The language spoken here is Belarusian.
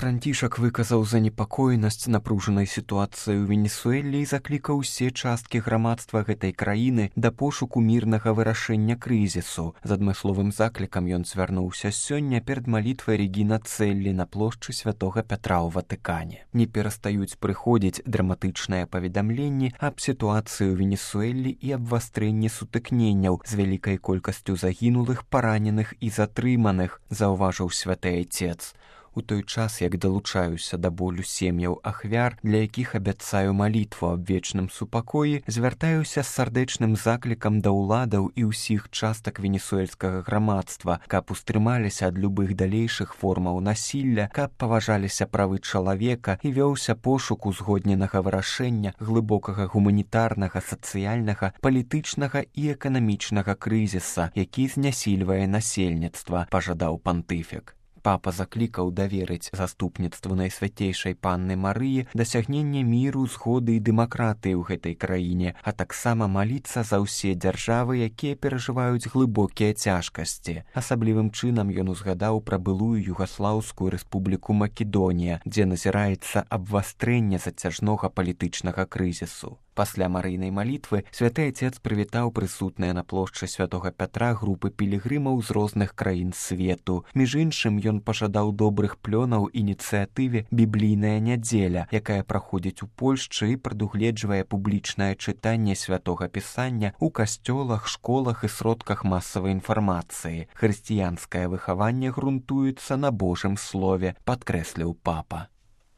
Францішак выказаў занепакоенасць напружанай сітуацыі ў Венесуэле і заклікаў усе часткі грамадства гэтай краіны да пошуку мірнага вырашэння крызісу. З адмысловым заклікам ён звярнуўся сёння перад малітвай Регіна Цэллі на плошчы Святога Пятра ў Ватыкане. Не перастаюць прыходзіць драматычныя паведамленні аб сітуацыі ў Венесуэле і абвастрэнні сутыкненняў з вялікай колькасцю загінулых, параненых і затрыманых, заўважыў святы айцец. У той час, як далучаюся да болю сем'яў ахвяр, для якіх абяцаю малітву аб вечным супакоі, звяртаюся з сардэчным заклікам да ўладаў і ўсіх частак венесуэльскага грамадства, каб устрымаліся ад любых далейшых формаў насілля, каб паважаліся правы чалавека і вёўся пошук узгодненага вырашэння глыбокага гуманітарнага, сацыяльнага, палітычнага і эканамічнага крызіса, які знясільвае насельніцтва, пажадаў пантыфік. Папа заклікаў даверыць заступніцтву Найсвяцейшай Панны Марыі дасягнення міру, згоды і дэмакратыі ў гэтай краіне, а таксама маліцца за ўсе дзяржавы, якія перажываюць глыбокія цяжкасці. Асаблівым чынам ён узгадаў пра былую Югаслаўскую рэспубліку Македонія, дзе назіраецца абвастрэнне зацяжнога палітычнага крызісу. Пасля марыйнай малітвы святы айцец прывітаў прысутныя на плошчы Святога Пятра групы пілігрымаў з розных краін свету. Між іншым, ён пажадаў добрых плёнаў ініцыятыве «Біблійная нядзеля», якая праходзіць у Польшчы і прадугледжвае публічнае чытанне святога пісання ў касцёлах, школах і сродках масавай інфармацыі. Хрысціянскае выхаванне грунтуецца на Божым слове, падкрэсліў папа.